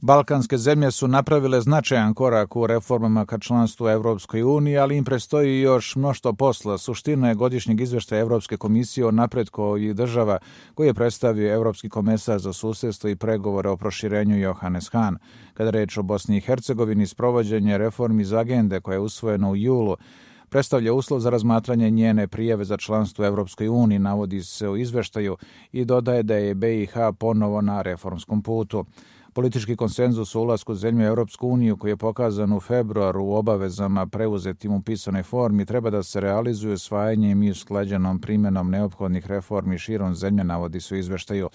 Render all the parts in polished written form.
Balkanske zemlje su napravile značajan korak u reformama ka članstvu Evropskoj uniji, ali im prestoji još mnoštvo posla. Suština je godišnjeg izveštaja Evropske komisije o napretku ovih država koji je predstavio Evropski komesar za susedstvo i pregovore o proširenju Johannes Hahn. Kada reč o Bosni i Hercegovini, sprovođenje reformi iz agende koja je usvojena u julu predstavlja uslov za razmatranje njene prijave za članstvo u Evropskoj uniji, navodi se u izveštaju i dodaje da je BiH ponovo na reformskom putu. Politički konsenzus o ulasku zemlje u Evropsku uniju koji je pokazan u februaru u obavezama preuzetim u pisanoj formi treba da se realizuje usvajanjem i usklađenom primjenom neophodnih reformi širom zemlje, navodi se u izveštaju.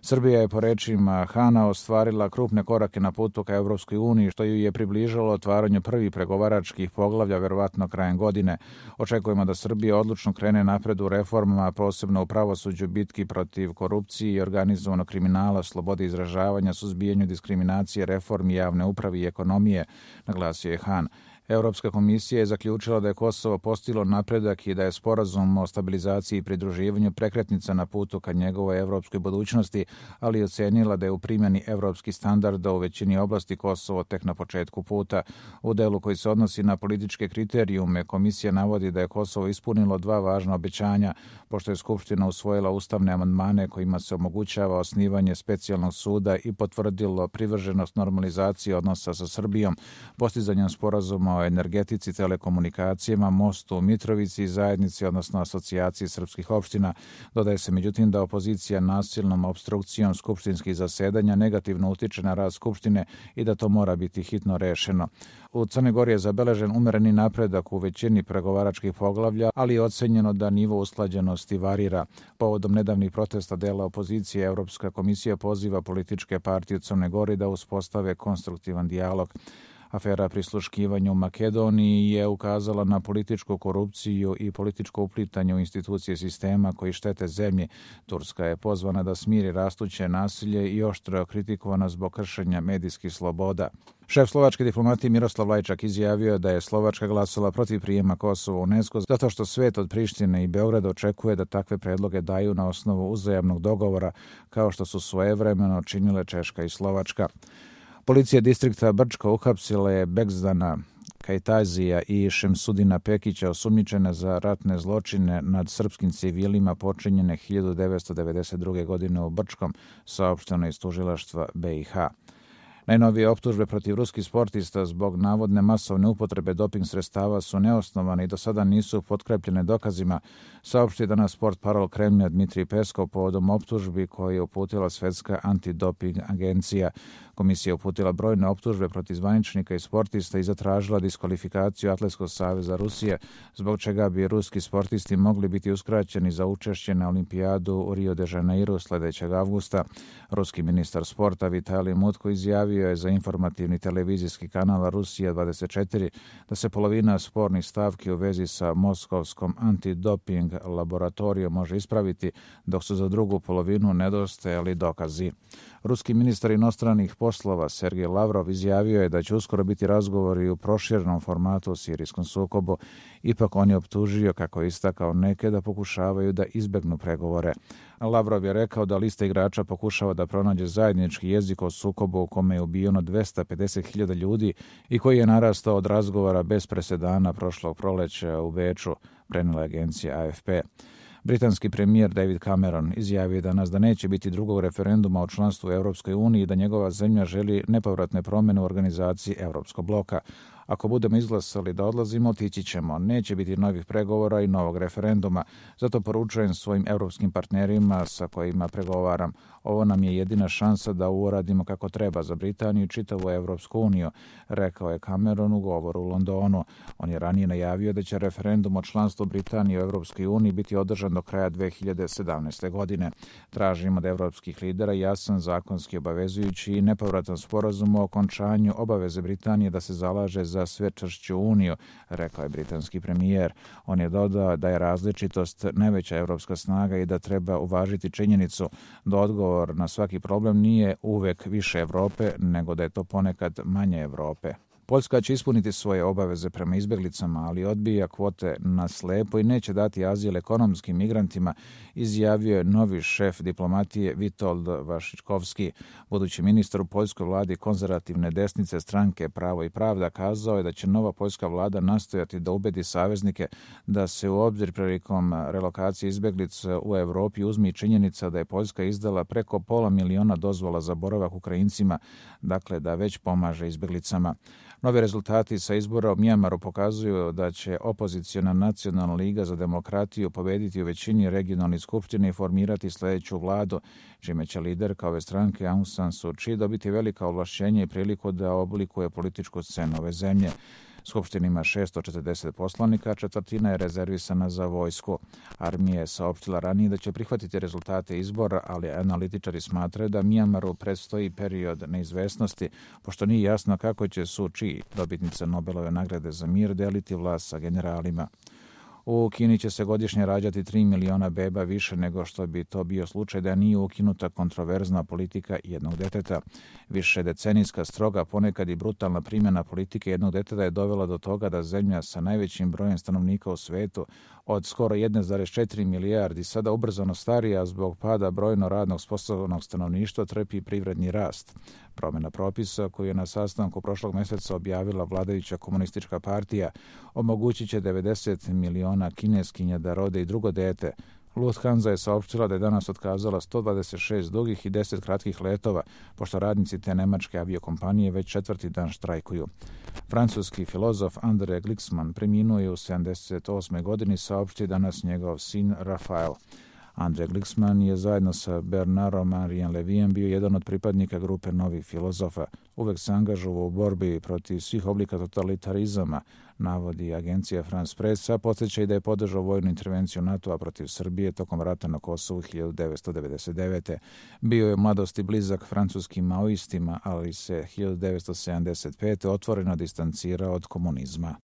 Srbija je po rečima Hana ostvarila krupne korake na putu ka Evropskoj uniji, što ju je približilo otvaranju prvih pregovaračkih poglavlja verovatno krajem godine. Očekujemo da Srbija odlučno krene napred u reformama, posebno u pravosuđu, bitki protiv korupcije i organizovanog kriminala, slobode izražavanja, suzbijanju diskriminacije, reformi javne uprave i ekonomije, naglasio je Han. Evropska komisija je zaključila da je Kosovo postiglo napredak i da je sporazum o stabilizaciji i pridruživanju prekretnica na putu ka njegovoj evropskoj budućnosti, ali ocenila da je u primjeni evropskih standarda u većini oblasti Kosovo tek na početku puta. U delu koji se odnosi na političke kriterijume, komisija navodi da je Kosovo ispunilo dva važna obećanja, pošto je Skupština usvojila ustavne amandmane kojima se omogućava osnivanje specijalnog suda i potvrdilo privrženost normalizaciji odnosa sa Srbijom, postizanjem sporazuma o energetici, telekomunikacijama, mostu u Mitrovici i zajednici, odnosno asocijaciji srpskih opština. Dodaje se međutim da opozicija nasilnom opstrukcijom skupštinskih zasedanja negativno utiče na rad Skupštine i da to mora biti hitno rešeno. U Crnoj Gori je zabeležen umereni napredak u većini pregovaračkih poglavlja, ali je ocenjeno da nivo usklađenosti varira. Povodom nedavnih protesta dela opozicije, Evropska komisija poziva političke partije u Crnoj Gori da uspostave konstruktivan dijalog. Afera prisluškivanja u Makedoniji je ukazala na političku korupciju i političko uplitanje u institucije sistema koji štete zemlji. Turska je pozvana da smiri rastuće nasilje i oštro kritikovana zbog kršenja medijskih sloboda. Šef slovačke diplomatije Miroslav Lajčak izjavio da je Slovačka glasala protiv prijema Kosova u UNESCO zato što svet od Prištine i Beograda očekuje da takve predloge daju na osnovu uzajamnog dogovora, kao što su svojevremeno činile Češka i Slovačka. Policija distrikta Brčko uhapsila je Begzdana Kajtazija i Šemsudina Pekića, osumnjičene za ratne zločine nad srpskim civilima počinjene 1992. godine u Brčkom, saopšteno iz tužilaštva BiH. Najnovije optužbe protiv ruskih sportista zbog navodne masovne upotrebe doping sredstava su neosnovane i do sada nisu potkrepljene dokazima, saopštio danas sport parol Kremlja Dmitrij Peskov povodom optužbi koje je uputila Svetska antidoping agencija. Komisija je uputila brojne optužbe protiv zvaničnika i sportista i zatražila diskvalifikaciju Atletskog saveza Rusije, zbog čega bi ruski sportisti mogli biti uskraćeni za učešće na olimpijadu u Rio de Janeiro sljedećeg avgusta. Ruski ministar sporta Vitalij Mutko izjavio je za informativni televizijski kanal Rusija 24 da se polovina spornih stavki u vezi sa Moskovskom antidoping laboratorijom može ispraviti, dok su za drugu polovinu nedostajali dokazi. Ruski ministar inostranih poslova Sergej Lavrov izjavio je da će uskoro biti razgovori u proširenom formatu o sirijskom sukobu. Ipak on je optužio, kako je istakao, neke da pokušavaju da izbegnu pregovore. Lavrov je rekao da lista igrača pokušava da pronađe zajednički jezik o sukobu u kome je ubijeno 250.000 ljudi i koji je narastao od razgovora bez presedana prošlog proleća u Beču, prenijela agencija AFP. Britanski premijer David Cameron izjavio danas da neće biti drugog referenduma o članstvu u Evropskoj uniji i da njegova zemlja želi nepovratne promjene u organizaciji Evropskog bloka. Ako budemo izglasali da odlazimo, otići ćemo. Neće biti novih pregovora i novog referenduma. Zato poručujem svojim evropskim partnerima sa kojima pregovaram. Ovo nam je jedina šansa da uradimo kako treba za Britaniju i čitavu Evropsku uniju, rekao je Cameron u govoru u Londonu. On je ranije najavio da će referendum o članstvu Britanije u Evropskoj uniji biti održan do kraja 2017. godine. Tražimo od evropskih lidera jasan, zakonski obavezujući i nepovratan sporazum o okončanju obaveze Britanije da se zalaže za sve čvršću uniju, rekao je britanski premijer. On je dodao da je različitost najveća evropska snaga i da treba uvažiti činjenicu da odgovor na svaki problem nije uvek više Evrope, nego da je to ponekad manje Evrope. Poljska će ispuniti svoje obaveze prema izbjeglicama, ali odbija kvote na slepo i neće dati azil ekonomskim migrantima, izjavio je novi šef diplomatije Witold Waszczykowski. Budući ministar u poljskoj vladi konzervativne desnice stranke Pravo i pravda kazao je da će nova poljska vlada nastojati da ubedi saveznike da se u obzir prilikom relokacije izbjeglica u Evropi uzmi činjenica da je Poljska izdala preko 500.000 dozvola za boravak Ukrajincima, dakle da već pomaže izbjeglicama. Novi rezultati sa izbora u Mjanmaru pokazuju da će opoziciona Nacionalna liga za demokratiju pobediti u većini regionalnih skupština i formirati sljedeću vladu, čime će liderka ove stranke Aung San Suu Kyi dobiti velika ovlašćenja i priliku da oblikuje političku scenu ove zemlje. Skupština ima 640 poslanika, četvrtina je rezervisana za vojsku. Armija je saopštila ranije da će prihvatiti rezultate izbora, ali analitičari smatraju da Mjanmaru predstoji period neizvesnosti, pošto nije jasno kako će Suu Kyi, dobitnica Nobelove nagrade za mir, deliti vlast sa generalima. U Kini će se godišnje rađati 3 miliona beba više nego što bi to bio slučaj da nije ukinuta kontroverzna politika jednog deteta. Više decenijska stroga, ponekad i brutalna primjena politike jednog deteta je dovela do toga da zemlja sa najvećim brojem stanovnika u svetu od skoro 1,4 milijardi sada ubrzano starija zbog pada brojno radnog sposobnog stanovništva trpi privredni rast. Promjena propisa koju je na sastanku prošlog mjeseca objavila vladajuća komunistička partija omogućit će 90 miliona kineskinja da rode i drugo dete. Lufthansa je saopštila da je danas otkazala 126 dugih i 10 kratkih letova, pošto radnici te nemačke aviokompanije već četvrti dan štrajkuju. Francuski filozof André Glixman preminuo je u 78. godini, saopštio danas njegov sin Rafael. André Glixman je zajedno sa Bernardom Henriom Levijem bio jedan od pripadnika grupe novih filozofa. Uvek se angažovao u borbi protiv svih oblika totalitarizama, navodi agencija France Press, a podsjeća i da je podržao vojnu intervenciju NATO-a protiv Srbije tokom rata na Kosovu 1999. Bio je u mladosti blizak francuskim maoistima, ali se 1975. otvoreno distancirao od komunizma.